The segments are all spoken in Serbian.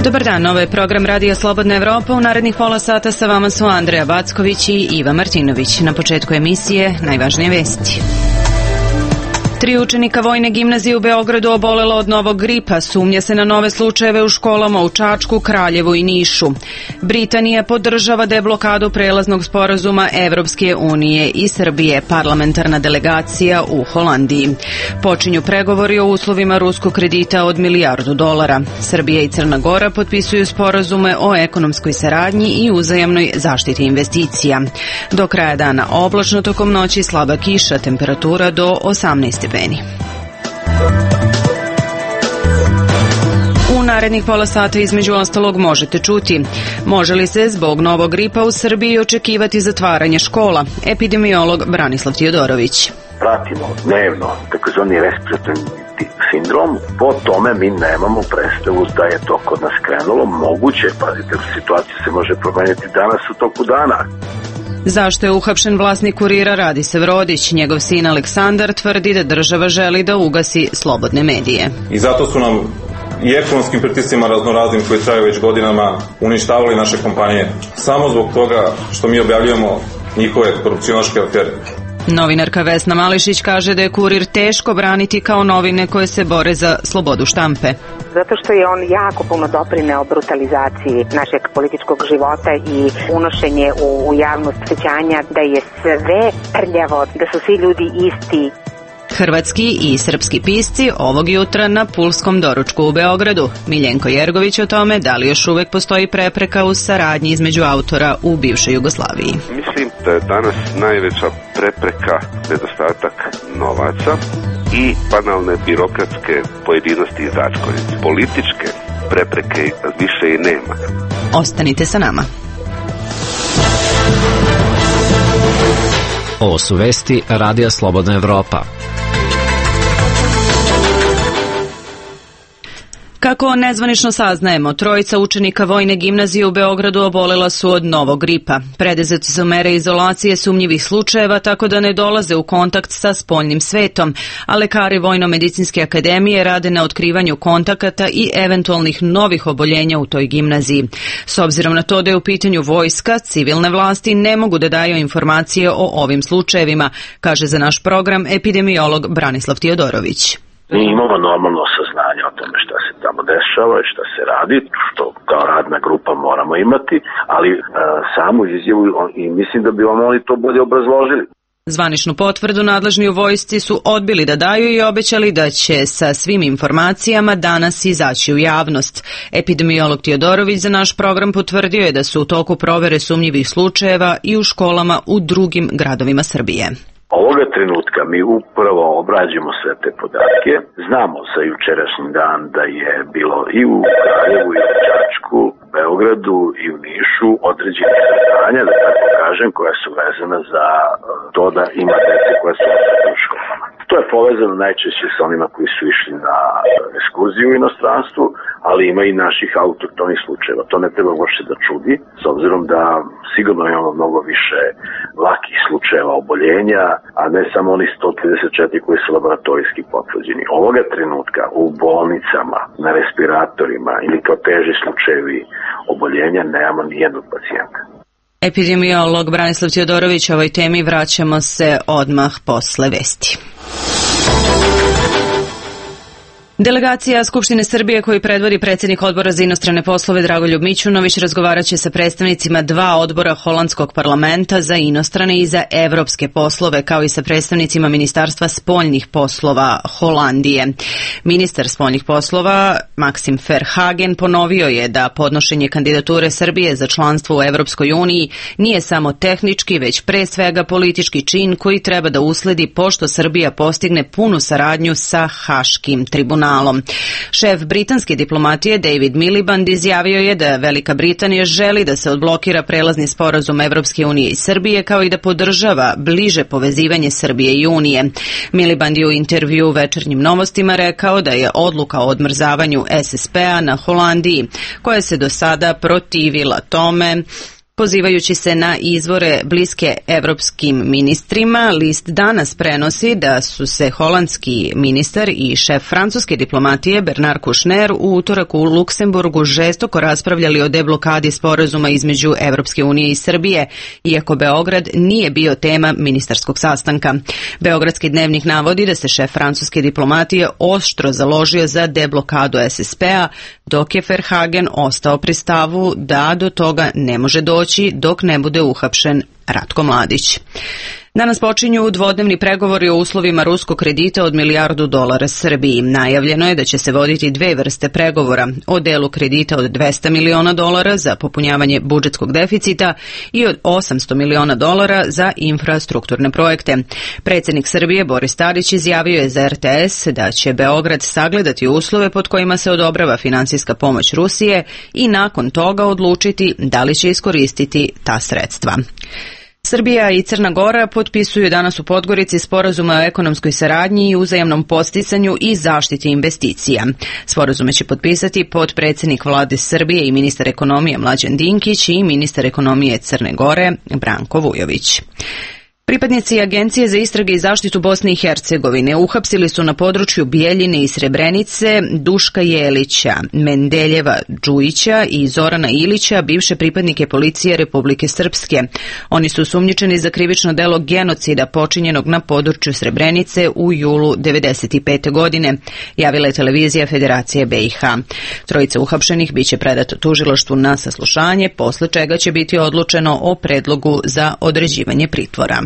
Dobar dan, ovo je program Radija Slobodna Evropa. U narednih pola sata sa vama su Andreja Backović i Iva Martinović. Na početku emisije najvažnije vesti. 3 učenika Vojne gimnazije u Beogradu obolelo od novog gripa. Sumnja se na nove slučajeve u školama u Čačku, Kraljevu i Nišu. Britanija podržava deblokadu prelaznog sporazuma Evropske unije i Srbije, parlamentarna delegacija u Holandiji. Počinju pregovori o uslovima ruskog kredita od $1 milijardu. Srbija i Crna Gora potpisuju sporazume o ekonomskoj saradnji i uzajamnoj zaštiti investicija. Do kraja dana oblačno, tokom noći slaba kiša, temperatura do 18 stepeni. U narednih pola sata između ostalog možete čuti: može li se zbog novog gripa u Srbiji očekivati zatvaranje škola? Epidemiolog Branislav Tijodorović. Pratimo dnevno takozvani respiratorni sindrom, po tome mi nemamo predstavu da je to kod nas krenulo. Moguće, pazite, situacija se može promeniti danas u toku dana. Zašto je uhapšen vlasnik Kurira Radisav Rodić? Njegov sin Aleksandar tvrdi da država želi da ugasi slobodne medije. I zato su nam i ekonomskim pritiscima raznoraznim koji traju već godinama uništavali naše kompanije. Samo zbog toga što mi objavljujemo njihove korupcionaške afere. Novinarka Vesna Mališić kaže da je Kurir teško braniti kao novine koje se bore za slobodu štampe. Zato što je on jako puno doprineo brutalizaciji našeg političkog života i unošenje u javnost osjećanja da je sve prljavo, da su svi ljudi isti. Hrvatski i srpski pisci ovog jutra na pulskom doručku u Beogradu. Miljenko Jergović o tome da li još uvek postoji prepreka u saradnji između autora u bivšoj Jugoslaviji. Mislim da je danas najveća prepreka nedostatak novaca i banalne birokratske pojedinosti i začkoljice. Političke prepreke više i nema. Ostanite sa nama. Ovo su vesti Radija Slobodna Evropa. Kako nezvanično saznajemo, 3 učenika Vojne gimnazije u Beogradu obolela su od novog gripa. Preduzete su mere izolacije sumnjivih slučajeva tako da ne dolaze u kontakt sa spoljnim svetom, a lekari Vojno-medicinske akademije rade na otkrivanju kontakata i eventualnih novih oboljenja u toj gimnaziji. S obzirom na to da je u pitanju vojska, civilne vlasti ne mogu da daju informacije o ovim slučajevima, kaže za naš program epidemiolog Branislav Tijodorović. Mi imamo normalno saznanje o tome šta se tamo dešava i šta se radi, što kao radna grupa moramo imati, ali samu izjavu i mislim da bi vam oni to bolje obrazložili. Zvaničnu potvrdu nadležni u vojsci su odbili da daju i obećali da će sa svim informacijama danas izaći u javnost. Epidemiolog Tijodorović za naš program potvrdio je da su u toku provere sumnjivih slučajeva i u školama u drugim gradovima Srbije. Ovoga trenutka mi upravo obrađujemo sve te podatke. Znamo za jučerašnji dan da je bilo i u Kraljevu i u Čačku, Beogradu i u Nišu određene saznanja, da tako kažem, koja su vezana za to da ima dece koja su u školama. To je povezano najčešće sa onima koji su išli na ekskurziju u inostranstvu, ali ima i naših autohtonih slučajeva. To ne treba uopšte da čudi, s obzirom da sigurno imamo mnogo više lakih slučajeva oboljenja, a ne samo oni 134 koji su laboratorijski potvrđeni. Ovoga trenutka u bolnicama, na respiratorima ili kao teži slučajevi oboljenja nemamo nijednog pacijenta. Epidemiolog Branislav Tijodorović, ovoj temi vraćamo se odmah posle vesti. Delegacija Skupštine Srbije koju predvodi predsjednik Odbora za inostrane poslove Dragoljub Mićunović razgovaraće sa predstavnicima 2 odbora holandskog parlamenta za inostrane i za evropske poslove, kao i sa predstavnicima Ministarstva spoljnih poslova Holandije. Ministar spoljnih poslova Maksim Verhagen ponovio je da podnošenje kandidature Srbije za članstvo u Evropskoj uniji nije samo tehnički, već pre svega politički čin koji treba da usledi pošto Srbija postigne punu saradnju sa Haškim tribunalom. Šef britanske diplomatije David Miliband izjavio je da Velika Britanija želi da se odblokira prelazni sporazum Evropske unije i Srbije, kao i da podržava bliže povezivanje Srbije i Unije. Miliband je u intervju Večernjim novostima rekao da je odluka o odmrzavanju SSP-a na Holandiji, koja se do sada protivila tome, Pozivajući se na izvore bliske evropskim ministrima, list danas prenosi da su se holandski ministar i šef francuske diplomatije Bernard Kouchner u utorak u Luksemburgu žestoko raspravljali o deblokadi sporazuma između Evropske unije i Srbije, iako Beograd nije bio tema ministarskog sastanka. Beogradski dnevnik navodi da se šef francuske diplomatije oštro založio za deblokadu SSP-a, dok je Verhagen ostao pri stavu da do toga ne može doći dok ne bude uhapšen Ratko Mladić. Danas počinju dvodnevni pregovori o uslovima ruskog kredita od $1 milijardu Srbiji. Najavljeno je da će se voditi dve vrste pregovora, o delu kredita od $200 miliona za popunjavanje budžetskog deficita i od $800 miliona za infrastrukturne projekte. Predsjednik Srbije Boris Tadić izjavio je za RTS da će Beograd sagledati uslove pod kojima se odobrava finansijska pomoć Rusije i nakon toga odlučiti da li će iskoristiti ta sredstva. Srbija i Crna Gora potpisuju danas u Podgorici sporazume o ekonomskoj saradnji i uzajamnom podsticanju i zaštiti investicija. Sporazume će potpisati potpredsjednik vlade Srbije i ministar ekonomije Mlađan Dinkić i ministar ekonomije Crne Gore Branko Vujović. Pripadnici Agencije za istrage i zaštitu Bosne i Hercegovine uhapsili su na području Bijeljine i Srebrenice Duška Jelića, Mendeljeva Đujića i Zorana Ilića, bivše pripadnike policije Republike Srpske. Oni su osumnjičeni za krivično delo genocida počinjenog na području Srebrenice u julu 1995. godine, javila je televizija Federacije BiH. Trojica uhapšenih biće predato tužilaštvu na saslušanje, posle čega će biti odlučeno o predlogu za određivanje pritvora.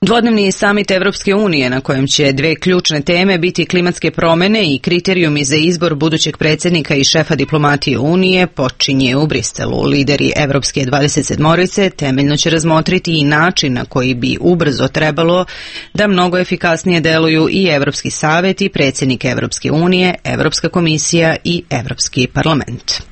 Dvodnevni samit Evropske unije, na kojem će dve ključne teme biti klimatske promjene i kriterijumi za izbor budućeg predsjednika i šefa diplomatije Unije, počinje u Briselu. Lideri Evropske 27-orice temeljno će razmotriti i način na koji bi ubrzo trebalo da mnogo efikasnije deluju i Evropski savet i predsjednik Evropske unije, Evropska komisija i Evropski parlament.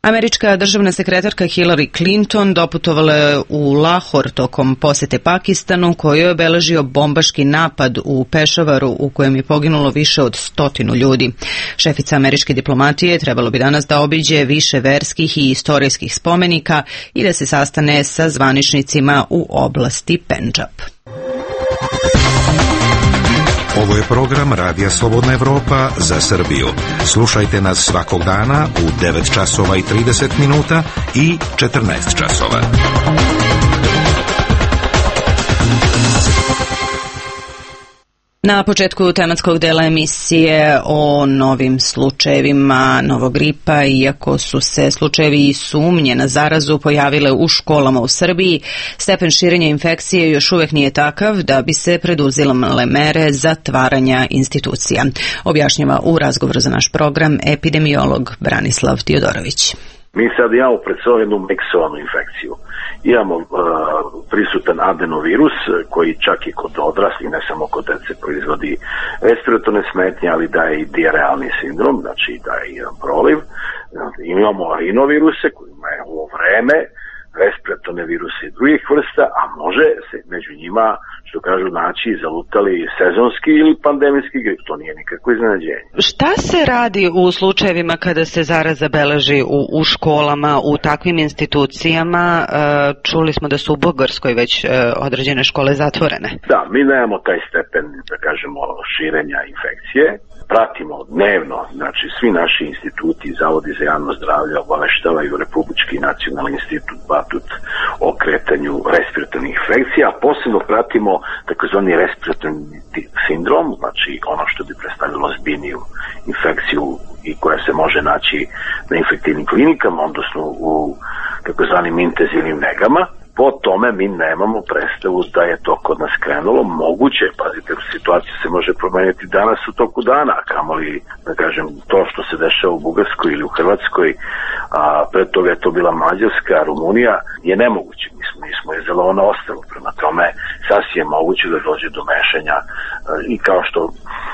Američka državna sekretarka Hillary Clinton doputovala je u Lahor tokom posete Pakistanu, koju je obeležio bombaški napad u Pešavaru u kojem je poginulo više od 100 ljudi. Šefica američke diplomatije trebalo bi danas da obiđe više verskih i istorijskih spomenika i da se sastane sa zvaničnicima u oblasti Pendžab. Ovo je program Radija Slobodna Evropa za Srbiju. Slušajte nas svakog dana u 9 časova i 30 minuta i 14 časova. Na početku tematskog dela emisije o novim slučajevima novog gripa, iako su se slučajevi i sumnje na zarazu pojavile u školama u Srbiji, stepen širenja infekcije još uvijek nije takav da bi se preduzimale mere zatvaranja institucija. Objašnjava u razgovoru za naš program epidemiolog Branislav Tiodorović. Mi sad imamo pred sobom jednu miksovanu infekciju. Imamo prisutan adenovirus koji čak i kod odraslih, ne samo kod dece, proizvodi respiratorne smetnje, ali daje i dijarealni sindrom, znači daje i jedan proliv. Imamo rinoviruse kojima je ovo vreme, respiratorne viruse i drugih vrsta, a može se među njima, što kažu, naći zalutali sezonski ili pandemijski grip. To nije nikakvo iznenađenje. Šta se radi u slučajevima kada se zaraza beleži u školama, u takvim institucijama? Čuli smo da su u Bugarskoj već određene škole zatvorene. Da, mi nemamo taj stepen, da kažemo, širenja infekcije. Pratimo dnevno, znači svi naši instituti, zavodi za javno zdravlje obaveštavaju Republički nacionalni institut Batut o kretanju respiratornih infekcija, a posebno pratimo takozvani respiratorni sindrom, znači ono što bi predstavilo ozbiljniju infekciju i koja se može naći na infektivnim klinikama, odnosno u takozvanim intenzivnim negama. Po tome mi nemamo predstavu da je to kod nas krenulo. Moguće, pazite, situacija se može promeniti danas u toku dana, kamoli, da kažem, to što se dešava u Bugarskoj ili u Hrvatskoj, a pred toga je to bila Mađarska, Rumunija, je nemoguće. Mi smo izolovano ostrvo, prema tome sasvim je moguće da dođe do mešanja i kao što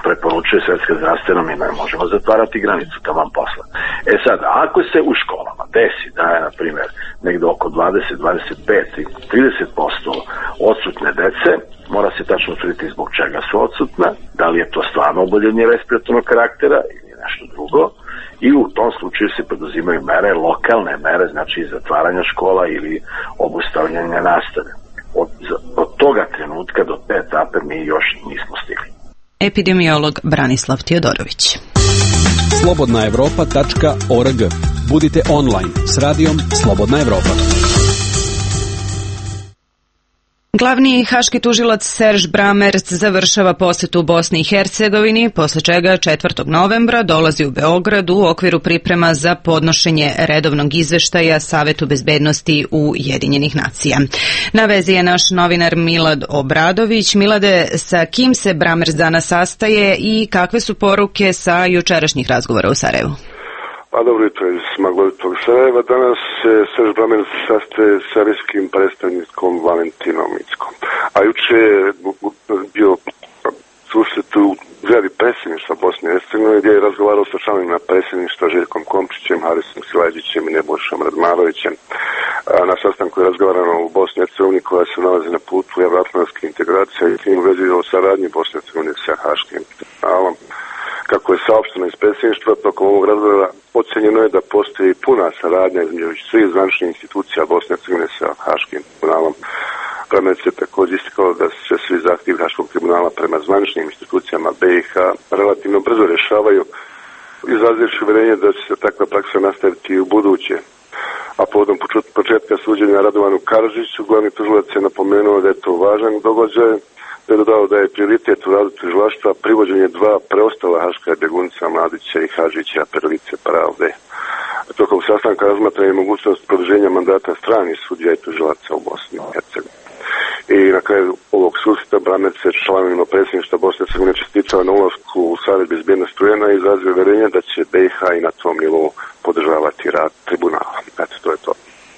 preporučuje Svetska zdravstvena, mi ne možemo zatvarati granicu taman posla. E sad, ako se u školama desi da je, na primjer, negde oko 20, 25 i 30% odsutne dece, mora se tačno utvrditi zbog čega su odsutna, da li je to stvarno oboljenje respiratornog karaktera ili nešto drugo, i u tom slučaju se poduzimaju mere, lokalne mere, znači zatvaranja škola ili obustavljanja nastave. Od toga trenutka do te etape mi još nismo stigli. Epidemiolog Branislav Tijodorović. slobodnaevropa.org. Budite online s radijom Slobodna Evropa. Glavni haški tužilac Serž Bramerc završava posetu u Bosni i Hercegovini, posle čega 4. novembra dolazi u Beograd u okviru priprema za podnošenje redovnog izveštaja Savetu bezbednosti Ujedinjenih nacija. Na vezi je naš novinar Milad Obradović. Milade, sa kim se Bramerc danas sastaje i kakve su poruke sa jučerašnjih razgovora u Sarajevu? Pa dobro jutro iz maglovitog Sarajeva. Danas se Serž Bramerc sastaje sa serbijskim predstavnikom Valentinom Inckom. A juče je bio susret u zgradi predsjedništva Bosne i Hercegovine gdje je razgovarao sa članovima predsjedništva Željkom Komčićem, Harisom Silajđićem i Nebojšom Radmarovićem. Na sastanku je razgovarano u Bosni i Hercegovini koja se nalazi na putu evroatlantske integracije i tim u vezi o saradnji Bosne i Hercegovine sa Haškim tribunalom. Kako je saopšteno iz predsjedništva, tokom ovog razgovora ocenjeno je da postoji puna saradnja između svih zvaničnih institucija Bosne i Hercegovine sa Haškim tribunalom. Bramerc je također istakao da se svi zahtjevi Haškog tribunala prema zvaničnim institucijama BiH relativno brzo rješavaju, izrazivši uvjerenje da će se takva praksa nastaviti i u buduće. A povodom početka suđenja Radovanu Karadžiću, glavni tužilac je napomenuo da je to važan događaj, da je dodao da je prioritet u radu tužilaštva privođenje 2 preostala haška bjegunca Mladića i Hadžića, Perlice pravde. Tokom sastanka razmatra je mogućnost produženja mandata stranih sudija i tužilaca u Bosni i Hercegovini. I na kraju ovog susreta Bramerc se članovima predsjedništva Bosne i Hercegovine čestitao na ulasku u Savet bezbednosti UN-a i izrazio uvjerenje da će BiH i na tom nivou podržavati rad tribunala. Eto, to je to.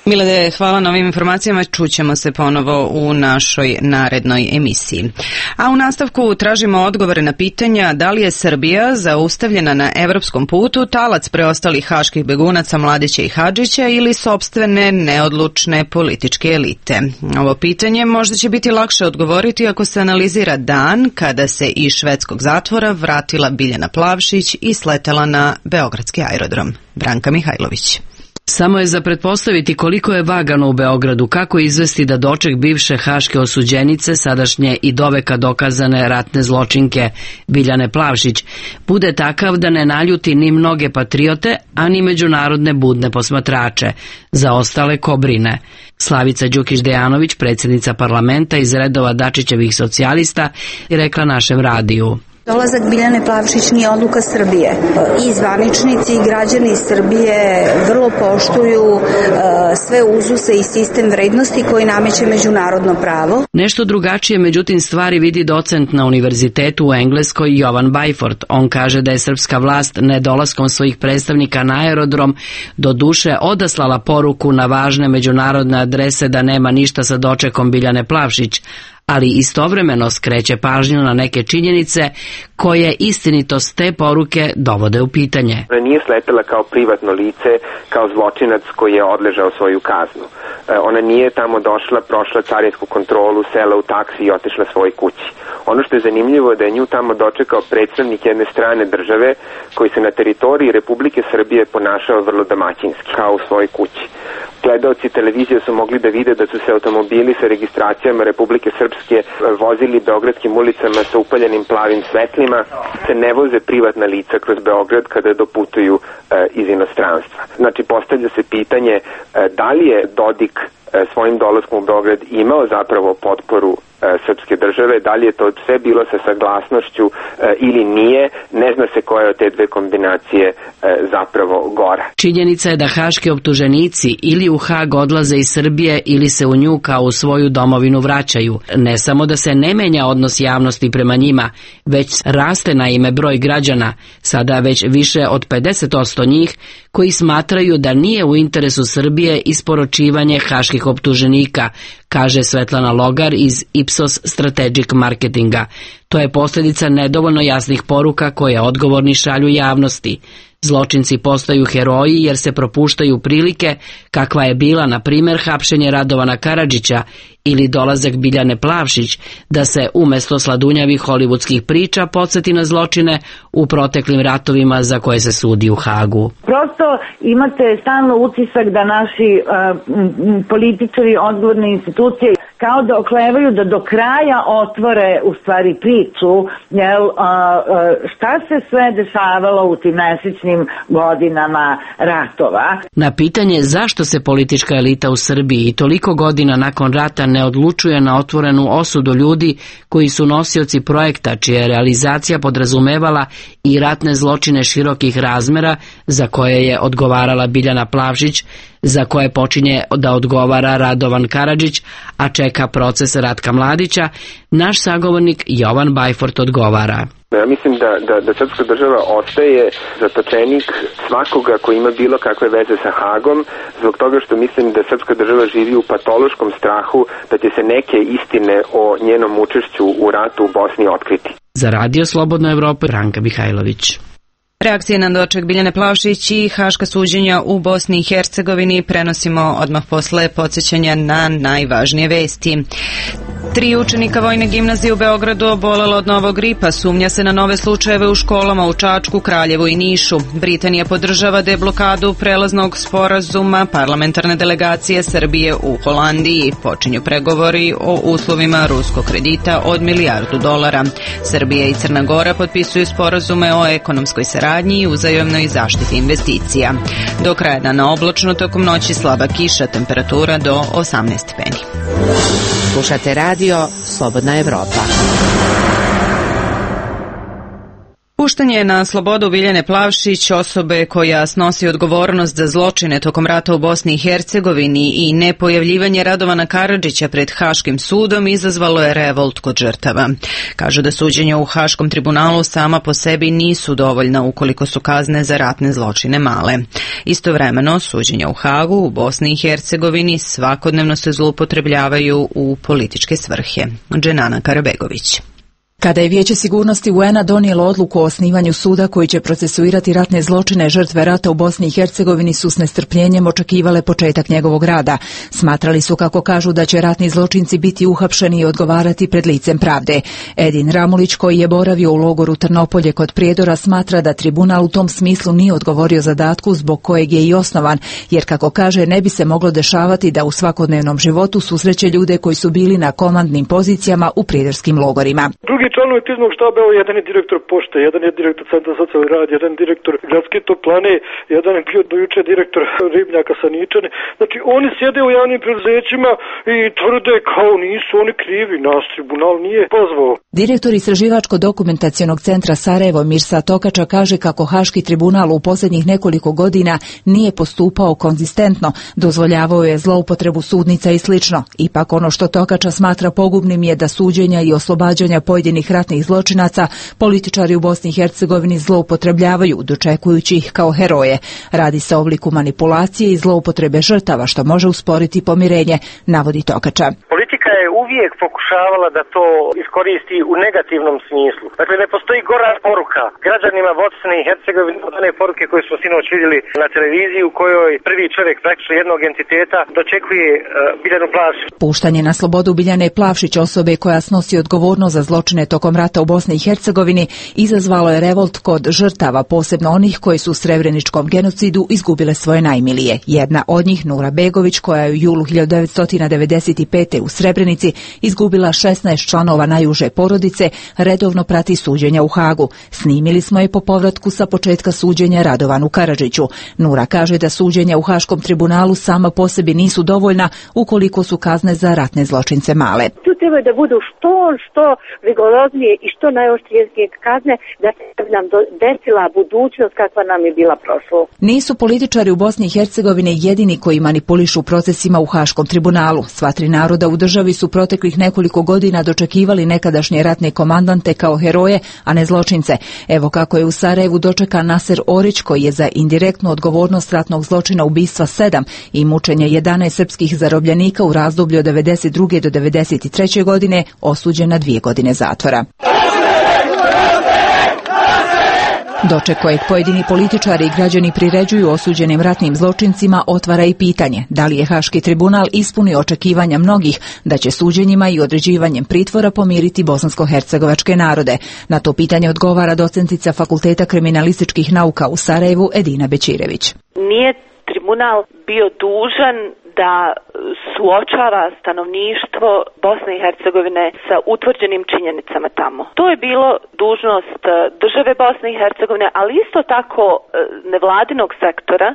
Milade, hvala na ovim informacijama. Čućemo se ponovo u našoj narednoj emisiji. A u nastavku tražimo odgovore na pitanja da li je Srbija zaustavljena na evropskom putu talac preostalih haških begunaca Mladića i Hadžića ili sopstvene neodlučne političke elite. Ovo pitanje možda će biti lakše odgovoriti ako se analizira dan kada se iz švedskog zatvora vratila Biljana Plavšić i sletela na beogradski aerodrom. Branka Mihajlović. Samo je za pretpostaviti koliko je vagano u Beogradu, kako izvesti da doček bivše haške osuđenice, sadašnje i doveka dokazane ratne zločinke Biljane Plavšić, bude takav da ne naljuti ni mnoge patriote, a ni međunarodne budne posmatrače. Za ostale ko brine. Slavica Đukić-Dejanović, predsjednica parlamenta iz redova Dačićevih socijalista, je rekla našem radiju. Dolazak Biljane Plavšić nije odluka Srbije. I zvaničnici i građani Srbije vrlo poštuju sve uzuse i sistem vrednosti koji nameće međunarodno pravo. Nešto drugačije, međutim, stvari vidi docent na univerzitetu u Engleskoj Jovan Bajford. On kaže da je srpska vlast nedolaskom svojih predstavnika na aerodrom do duše odaslala poruku na važne međunarodne adrese da nema ništa sa dočekom Biljane Plavšić, ali istovremeno skreće pažnju na neke činjenice koje istinitost te poruke dovode u pitanje. Ona nije sletela kao privatno lice, kao zločinac koji je odležao svoju kaznu. Ona nije tamo došla, prošla carinsku kontrolu, sela u taksi i otišla svojoj kući. Ono što je zanimljivo je da je nju tamo dočekao predstavnik jedne strane države koji se na teritoriji Republike Srbije ponašao vrlo domaćinski, kao u svojoj kući. Gledaoci televizije su mogli da vide da su se automobili sa registracijama Republike Srpske vozili beogradskim ulicama sa upaljenim plavim svetlima. Se ne voze privatna lica kroz Beograd kada doputuju iz inostranstva. Znači, postavlja se pitanje da li je Dodik svojim dolaskom u Beograd imao zapravo potporu srpske države, da li je to sve bilo sa saglasnošću ili nije, ne zna se koja je od te dve kombinacije zapravo gora. Činjenica je da haški optuženici ili u Hag odlaze iz Srbije ili se u nju kao u svoju domovinu vraćaju. Ne samo da se ne menja odnos javnosti prema njima, već raste na ime broj građana, sada već više od 50% njih, koji smatraju da nije u interesu Srbije isporučivanje haških optuženika, kaže Svetlana Logar iz Ipsos Strategic Marketinga. To je posljedica nedovoljno jasnih poruka koje odgovorni šalju javnosti. Zločinci postaju heroji jer se propuštaju prilike kakva je bila, na primjer, hapšenje Radovana Karadžića ili dolazak Biljane Plavšić, da se umjesto sladunjavih hollywoodskih priča podsjeti na zločine u proteklim ratovima za koje se sudi u Hagu. Prosto imate stalno utisak da naši političari, odgovorne institucije kao da oklevaju da do kraja otvore u stvari priču, šta se sve dešavalo u tim mesečnim godinama ratova. Na pitanje zašto se politička elita u Srbiji toliko godina nakon rata ne odlučuje na otvorenu osudu ljudi koji su nosioci projekta čija je realizacija podrazumevala i ratne zločine širokih razmera za koje je odgovarala Biljana Plavšić, za koje počinje da odgovara Radovan Karadžić, a čeka proces Ratka Mladića, naš sagovornik Jovan Bajfort odgovara. Ja mislim da srpska država ostaje zatočenik svakoga ko ima bilo kakve veze sa Hagom, zbog toga što mislim da srpska država živi u patološkom strahu da će se neke istine o njenom učešću u ratu u Bosni otkriti. Za Radio Slobodna Evropa, Branka Mihajlović. Reakcije na doček Biljane Plavšić i haška suđenja u Bosni i Hercegovini prenosimo odmah posle podsjećanja na najvažnije vesti. 3 učenika Vojne gimnazije u Beogradu obolelo od novog gripa. Sumnja se na nove slučajeve u školama u Čačku, Kraljevu i Nišu. Britanija podržava deblokadu prelaznog sporazuma parlamentarne delegacije Srbije u Holandiji. Počinju pregovori o uslovima ruskog kredita od $1 milijardu. Srbija i Crna Gora potpisuju sporazume o ekonomskoj saradnji i uzajamnoj zaštiti investicija. Do kraja dana oblačno, tokom noći slaba kiša, temperatura do 18 stepeni. Slušate radio Slobodna Evropa. Puštanje na slobodu Biljane Plavšić, osobe koja snosi odgovornost za zločine tokom rata u Bosni i Hercegovini, i nepojavljivanje Radovana Karadžića pred Haškim sudom izazvalo je revolt kod žrtava. Kažu da suđenja u Haškom tribunalu sama po sebi nisu dovoljna ukoliko su kazne za ratne zločine male. Istovremeno, suđenja u Hagu u Bosni i Hercegovini svakodnevno se zloupotrebljavaju u političke svrhe. Dženana Karabegović. Kada je Vijeće sigurnosti UN-a donijelo odluku o osnivanju suda koji će procesuirati ratne zločine žrtve rata u Bosni i Hercegovini su s nestrpljenjem očekivale početak njegovog rada. Smatrali su, kako kažu, da će ratni zločinci biti uhapšeni i odgovarati pred licem pravde. Edin Ramulić, koji je boravio u logoru Trnopolje kod Prijedora, smatra da tribunal u tom smislu nije odgovorio zadatku zbog kojeg je i osnovan, jer, kako kaže, ne bi se moglo dešavati da u svakodnevnom životu susreće ljude koji su bili na komandnim pozicijama u prijedorskim logorima. Članovi kriznog štaba, jedan je direktor pošte, jedan je direktor Centra socijalni rad, jedan direktor gradske toplane, jedan je bio dojuče direktor ribnjaka sa Ničane. Znači, oni sjede u javnim preduzećima i tvrde kao nisu oni krivi, nas tribunal nije pozvao. Direktor Istraživačko-dokumentacionog centra Sarajevo Mirsa Tokača kaže kako Haški tribunal u posljednjih nekoliko godina nije postupao konzistentno, dozvoljavao je zloupotrebu sudnica i slično. Ipak ono što Tokača smatra pogubnim je da suđenja i oslobađanja pojedinih ratnih zločinaca političari u Bosni i Hercegovini zloupotrebljavaju, dočekujući ih kao heroje. Radi se o obliku manipulacije i zloupotrebe žrtava, što može usporiti pomirenje, navodi Tokača. Politika je uvijek pokušavala da to iskoristi u negativnom smislu. Dakle, ne postoji gora poruka građanima Bosne i Hercegovine od one poruke koje smo sinoć vidjeli na televiziji, u kojoj prvi čovjek praktično jednog entiteta dočekuje Biljanu Plavšić. Puštanje na slobodu Biljane Plavšić, osobe koja snosi odgovornost za zločine tokom rata u Bosni i Hercegovini, izazvalo je revolt kod žrtava, posebno onih koji su u Srebreničkom genocidu izgubile svoje najmilije. Jedna od njih, Nura Begović, koja je u julu 1995. u Srebrenici izgubila 16 članova najuže porodice, redovno prati suđenja u Hagu. Snimili smo je po povratku sa početka suđenja Radovanu Karadžiću. Nura kaže da suđenja u Haškom tribunalu sama po sebi nisu dovoljna ukoliko su kazne za ratne zločince male. Tu treba da budu što rigoroznije i što najoštrije kazne, da se nam desila budućnost kakva nam je bila prošlo. Nisu političari u Bosni i Hercegovini jedini koji manipulišu procesima u Haškom tribunalu. Sva tri naroda u državi su proteklih nekoliko godina dočekivali nekadašnje ratne komandante kao heroje, a ne zločince. Evo kako je u Sarajevu dočekan Naser Orić, koji je za indirektnu odgovornost ratnog zločina ubistva 7 i mučenja 11 srpskih zarobljenika u razdoblju od 92. do 93. godine osuđen na 2 godine zatvora. Doček kojeg pojedini političari i građani priređuju osuđenim ratnim zločincima otvara i pitanje da li je Haški tribunal ispunio očekivanja mnogih da će suđenjima i određivanjem pritvora pomiriti bosansko-hercegovačke narode. Na to pitanje odgovara docentica Fakulteta kriminalističkih nauka u Sarajevu Edina Bećirević. Nije tribunal bio dužan da suočava stanovništvo Bosne i Hercegovine sa utvrđenim činjenicama tamo. To je bilo dužnost države Bosne i Hercegovine, ali isto tako nevladinog sektora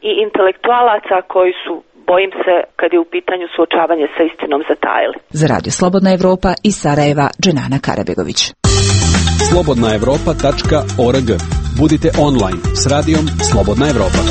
i intelektualaca koji su, bojim se, kad je u pitanju suočavanje sa istinom, zatajili. Za Radio Slobodna Evropa iz Sarajeva, Dženana Karabegović. slobodnaevropa.org. Budite online s radijom Slobodna Evropa.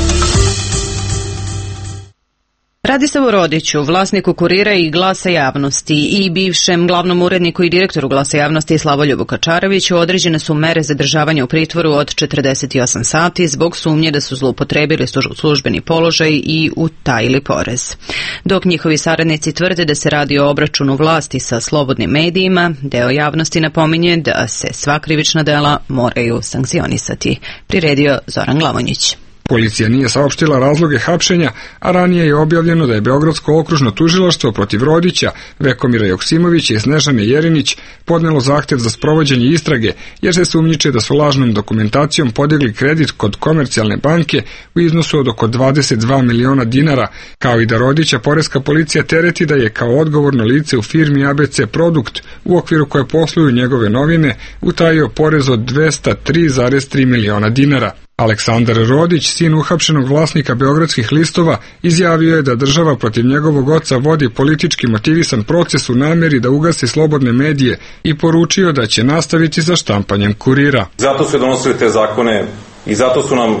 Radislavu Rodiću, vlasniku Kurira i Glasa javnosti, i bivšem glavnom uredniku i direktoru Glasa javnosti Slavoljubu Kačareviću određene su mere zadržavanja u pritvoru od 48 sati zbog sumnje da su zloupotrebili službeni položaj i utajili porez. Dok njihovi saradnici tvrde da se radi o obračunu vlasti sa slobodnim medijima, deo javnosti napominje da se sva krivična dela moraju sankcionisati. Priredio Zoran Glavonjić. Policija nije saopštila razloge hapšenja, a ranije je objavljeno da je Beogradsko okružno tužilaštvo protiv Rodića, Vekomira Joksimovića i Snežane Jerinić podnelo zahtev za sprovođenje istrage, jer se sumnjiče da su lažnom dokumentacijom podigli kredit kod Komercijalne banke u iznosu od oko 22 miliona dinara, kao i da Rodića poreska policija tereti da je kao odgovorno lice u firmi ABC Produkt, u okviru koje posluju njegove novine, utajio porez od 203,3 miliona dinara. Aleksandar Rodić, sin uhapšenog vlasnika Beogradskih listova, izjavio je da država protiv njegovog oca vodi politički motivisan proces u nameri da ugasi slobodne medije i poručio da će nastaviti sa štampanjem Kurira. Zato su donosili te zakone i zato su nam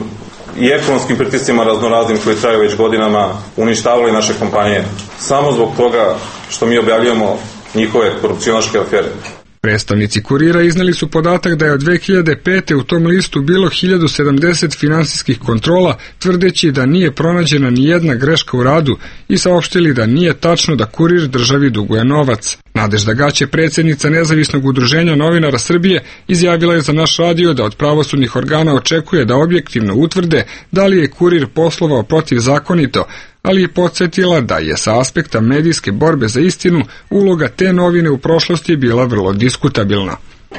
i ekonomskim pritiscima raznoraznim koji traju već godinama uništavali naše kompanije. Samo zbog toga što mi objavljujemo njihove korupcionaške afere. Predstavnici Kurira izneli su podatak da je od 2005. u tom listu bilo 1070 finansijskih kontrola, tvrdeći da nije pronađena ni jedna greška u radu i saopštili da nije tačno da Kurir državi duguje novac. Nadežda Gaće, predsjednica Nezavisnog udruženja novinara Srbije, izjavila je za naš radio da od pravosudnih organa očekuje da objektivno utvrde da li je Kurir poslovao protivzakonito, ali je podsjetila da je sa aspekta medijske borbe za istinu uloga te novine u prošlosti bila vrlo diskutabilna.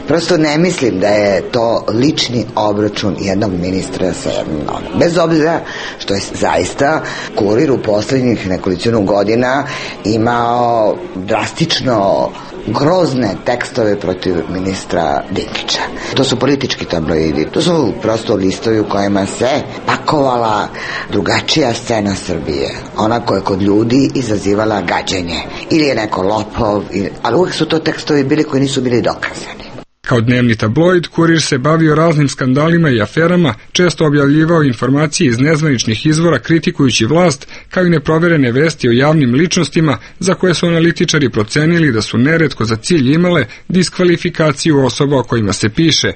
Prosto ne mislim da je to lični obračun jednog ministra sa jednom novinom. Bez obzira što je zaista Kurir u posljednjih nekolicinu godina imao drastično grozne tekstove protiv ministra Dinkića. To su politički tabloidi, to su prosto listovi u kojima se pakovala drugačija scena Srbije, ona koja je kod ljudi izazivala gađenje. Ili je neko lopov, ali uvijek su to tekstovi bili koji nisu bili dokazani. Kao dnevni tabloid, Kurir se bavio raznim skandalima i aferama, često objavljivao informacije iz nezvaničnih izvora kritikujući vlast, kao i neproverene vesti o javnim ličnostima za koje su analitičari procenili da su neretko za cilj imale diskvalifikaciju osoba o kojima se piše.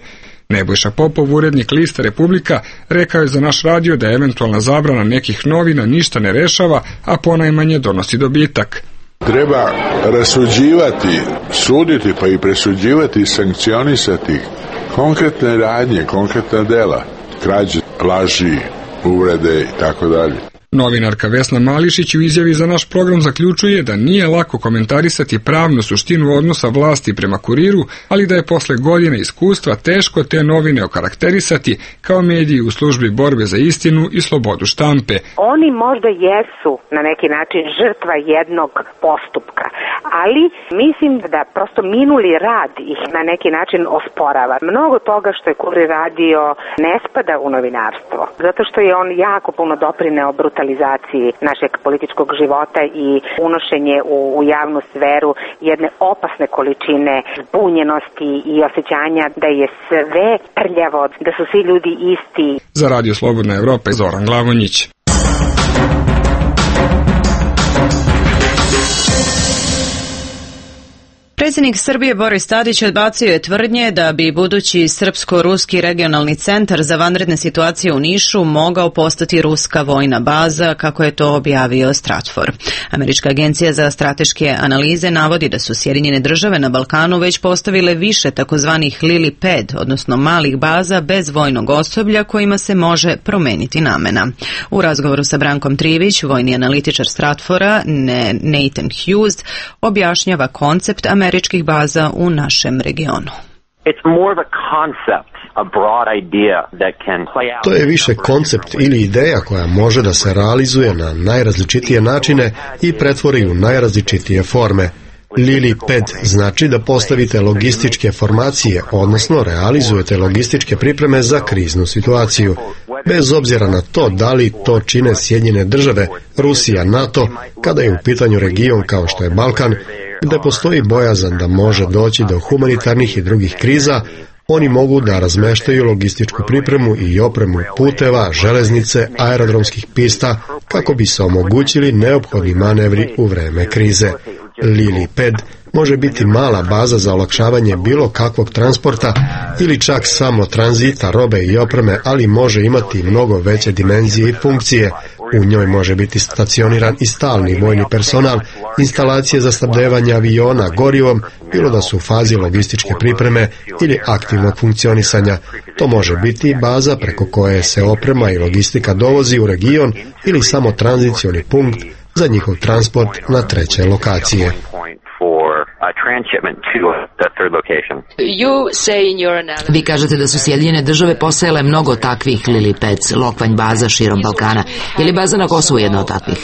Nebojša Popov, urednik lista Republika, rekao je za naš radio da eventualna zabrana nekih novina ništa ne rešava, a ponajmanje donosi dobitak. Treba rasuđivati, suditi pa i presuđivati i sankcionisati konkretne radnje, konkretna dela, krađe, laži, uvrede i tako dalje. Novinarka Vesna Mališić u izjavi za naš program zaključuje da nije lako komentarisati pravnu suštinu odnosa vlasti prema Kuriru, ali da je posle godina iskustva teško te novine okarakterisati kao mediji u službi borbe za istinu i slobodu štampe. Oni možda jesu na neki način žrtva jednog postupka, ali mislim da prosto minuli rad ih na neki način osporava. Mnogo toga što je Kurir radio ne spada u novinarstvo, zato što je on jako puno doprineo brutalizaciji našeg političkog života i unošenje u javnu sferu jedne opasne količine zbunjenosti i osjećanja da je sve prljavo, da su svi ljudi isti. Za Radio Slobodna Evropa, Zoran Glavonjić. Predsjednik Srbije Boris Tadić odbacio je tvrdnje da bi budući srpsko-ruski regionalni centar za vanredne situacije u Nišu mogao postati ruska vojna baza, kako je to objavio Stratfor. Američka agencija za strateške analize navodi da su Sjedinjene države na Balkanu već postavile više takozvanih Lily Pad, odnosno malih baza bez vojnog osoblja kojima se može promeniti namena. U razgovoru sa Brankom Trivić, vojni analitičar Stratfora, Nathan Hughes, objašnjava koncept američkih baza u našem regionu. To je više koncept ili ideja koja može da se realizuje na najrazličitije načine i pretvori u najrazličitije forme. Lily Pad znači da postavite logističke formacije, odnosno realizujete logističke pripreme za kriznu situaciju. Bez obzira na to da li to čine Sjedinjene države, Rusija, NATO, kada je u pitanju region kao što je Balkan, gde postoji bojazan da može doći do humanitarnih i drugih kriza, oni mogu da razmeštaju logističku pripremu i opremu puteva, železnice, aerodromskih pista kako bi se omogućili neophodni manevri u vreme krize. Lily Pad može biti mala baza za olakšavanje bilo kakvog transporta ili čak samo tranzita robe i opreme, ali može imati mnogo veće dimenzije i funkcije. U njoj može biti stacioniran i stalni vojni personal, instalacije za snabdevanje aviona gorivom, bilo da su u fazi logističke pripreme ili aktivnog funkcionisanja. To može biti baza preko koje se oprema i logistika dovozi u region ili samo tranzicioni punkt za njihov transport na treće lokacije. Vi kažete da su Sjedinjene države posejale mnogo takvih Lily Pads, lokvanj baza širom Balkana. Je li baza na Kosovu jedna od takvih?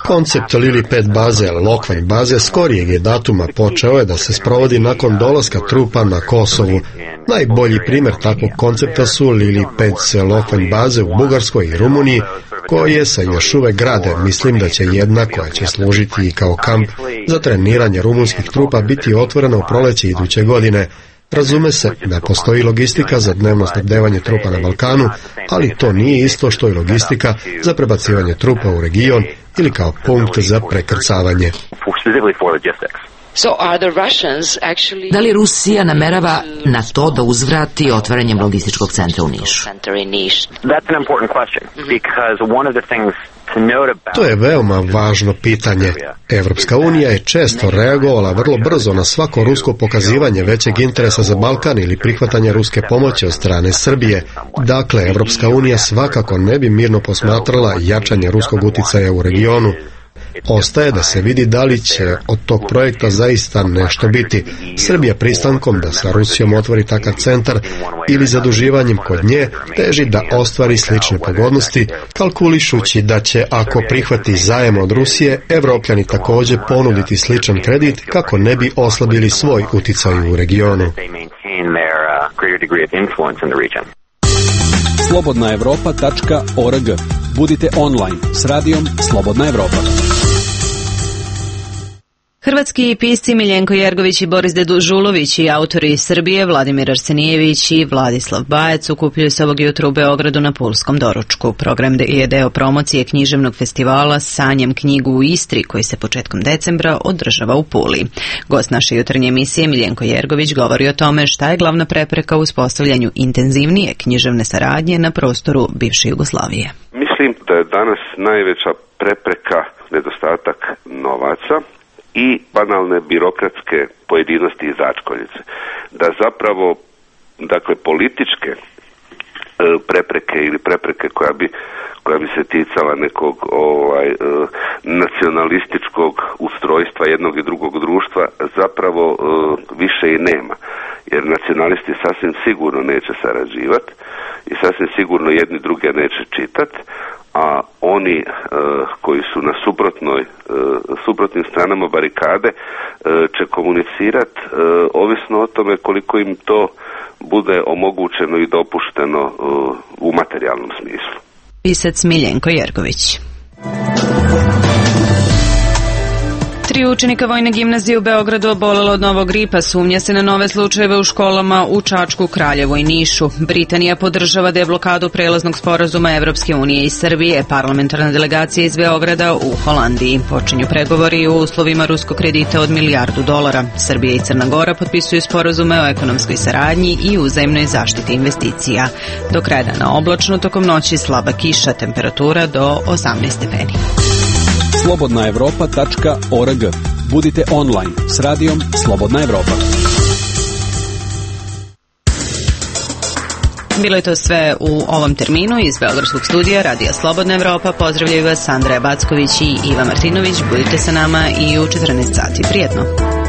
Koncept Lily Pad baze, lokvanj baze, skorijeg je datuma počeo je da se sprovodi nakon dolaska trupa na Kosovu. Najbolji primjer takvog koncepta su Lily Pads, lokvanj baze u Bugarskoj i Rumuniji, koje se još uvek grade. Mislim da će jedna koja će služiti i kao kamp za treniranje rumunskih trupa biti otvorena u proleće iduće godine. Razume se da postoji logistika za dnevno snabdevanje trupa na Balkanu, ali to nije isto što i logistika za prebacivanje trupa u region ili kao punkt za prekrcavanje. Da li Rusija namerava na to da uzvrati otvaranjem logističkog centra u Nišu? To je veoma važno pitanje. Evropska unija je često reagovala vrlo brzo na svako rusko pokazivanje većeg interesa za Balkan ili prihvatanje ruske pomoći od strane Srbije. Dakle, Evropska unija svakako ne bi mirno posmatrala jačanje ruskog uticaja u regionu. Ostaje da se vidi da li će od tog projekta zaista nešto biti. Srbija pristankom da sa Rusijom otvori takav centar ili zaduživanjem kod nje teži da ostvari slične pogodnosti, kalkulišući da će, ako prihvati zajem od Rusije, Evropljani također ponuditi sličan kredit kako ne bi oslabili svoj uticaj u regionu. slobodnaevropa.org. Budite online s radijom Slobodna Evropa. Hrvatski pisci Miljenko Jergović i Boris Dežulović i autori iz Srbije Vladimir Arsenijević i Vladislav Bajec okupljaju se ovog jutra u Beogradu na Pulskom doručku. Program je deo promocije književnog festivala Sanjem knjigu u Istri, koji se početkom decembra održava u Puli. Gost naše jutarnje emisije Miljenko Jergović govori o tome šta je glavna prepreka u uspostavljanju intenzivnije književne saradnje na prostoru bivše Jugoslavije. Mislim da je danas najveća prepreka nedostatak novaca i banalne birokratske pojedinosti i začkoljice. Da zapravo, dakle, političke prepreke ili prepreke koja bi se ticala nekog nacionalističkog ustrojstva jednog i drugog društva zapravo više i nema. Jer nacionalisti sasvim sigurno neće sarađivati i sasvim sigurno jedni druge neće čitati, a oni koji su na suprotnim stranama barikade će komunicirati ovisno o tome koliko im to bude omogućeno i dopušteno u materijalnom smislu. Pisac Miljenko Jergović. 3 učenika Vojne gimnazije u Beogradu obolelo od novog gripa. Sumnja se na nove slučajeve u školama u Čačku, Kraljevu i Nišu. Britanija podržava deblokadu prelaznog sporazuma Evropske unije i Srbije. Parlamentarna delegacija iz Beograda u Holandiji. Počinju pregovori u uslovima ruskog kredita od $1 milijardu. Srbija i Crna Gora potpisuju sporazume o ekonomskoj saradnji i uzajamnoj zaštiti investicija. Do kraja dana oblačno, tokom noći slaba kiša, temperatura do 18 stepeni. slobodnaevropa.org. Budite online s radijom Slobodna Evropa. Bilo je to sve u ovom terminu iz Beogradskog studija Radija Slobodna Evropa. Pozdravljaju vas Andreja Backović i Iva Martinović. Budite sa nama i u 14 sati. Prijetno!